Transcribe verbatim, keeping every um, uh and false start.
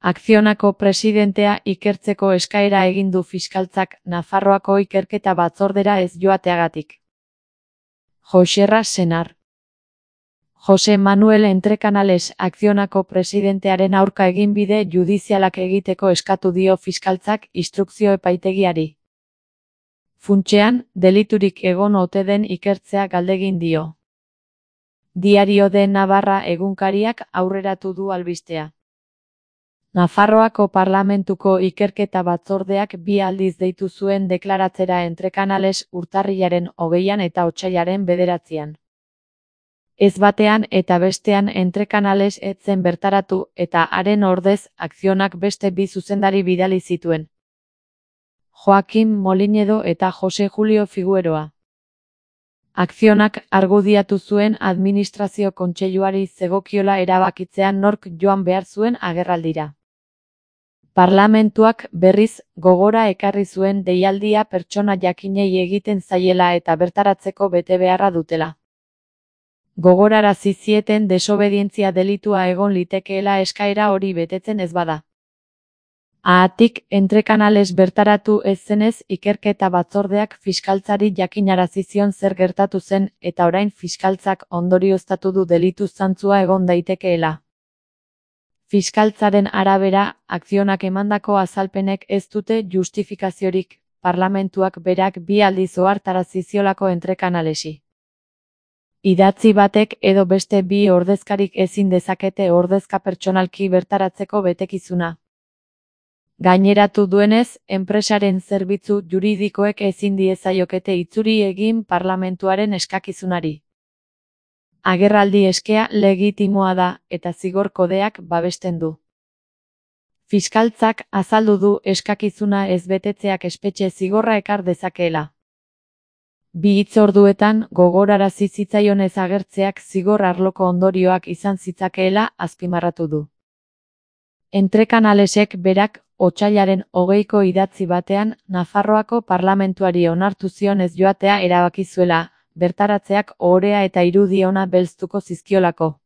Akzionako presidentea ikertzeko eskaera egin du fiskaltzak Nafarroako ikerketa batzordera ez joateagatik. Joxerra Senar. Jose Manuel Entrecanales Akzionako presidentearen aurka eginbide judizialak egiteko eskatu dio fiskaltzak instrukzio epaitegiari. Funtsean, deliturik egon ote den ikertzea galdegin dio. Diario de Navarra egunkariak aurreratu du albistea. Nafarroako Parlamentuko ikerketa batzordeak bi aldiz deitu zuen deklaratzera Entrecanales urtarrilaren hogeian eta otsailaren bederatzian. Ez batean eta bestean Entrecanales ez zen bertaratu eta haren ordez Akzionak beste bi zuzendari bidali zituen. Joaquim Molinedo eta Jose Julio Figueroa. Akzionak argudiatu zuen administrazio kontseiluari zegokiola erabakitzean nork joan behar zuen agerraldira. Parlamentuak berriz gogora ekarri zuen deialdia pertsona jakinei egiten zaiela eta bertaratzeko betebeharra dutela. Gogorarazi zieten desobedientzia delitua egon litekeela eskaera hori betetzen ez bada. Haatik, Entrecanales bertaratu ez zenez ikerketa batzordeak fiskaltzari jakinarazi zion zer gertatu zen eta orain fiskaltzak ondorioztatu du delitu zantzua egon daitekeela. Fiskaltzaren arabera, Akzionak emandako azalpenek ez dute justifikaziorik, parlamentuak berak bi aldiz ohartarazi ziolako Entrecanalesi. Idatzi batek edo beste bi ordezkarik ezin dezakete ordezka pertsonalki bertaratzeko betekizuna. Gaineratu duenez, enpresaren zerbitzu juridikoek ezin diezaiokete itzuri egin parlamentuaren eskakizunari. Agerraldi eskea legitimoa da eta zigor kodeak babesten du. Fiskaltzak azaldu du eskakizuna ez betetzeak espetxe zigorra ekar dezakeela. Bi hitzorduetan gogorarazi zitzaionez agertzeak zigor arloko ondorioak izan zitzakeela azpimarratu du. Entrecanalesek berak otsailaren hogeiko idatzi batean Nafarroako parlamentuari onartu zion ez joatea erabaki zuela, bertaratzeak ohorea eta irudi ona belztuko zizkiolako.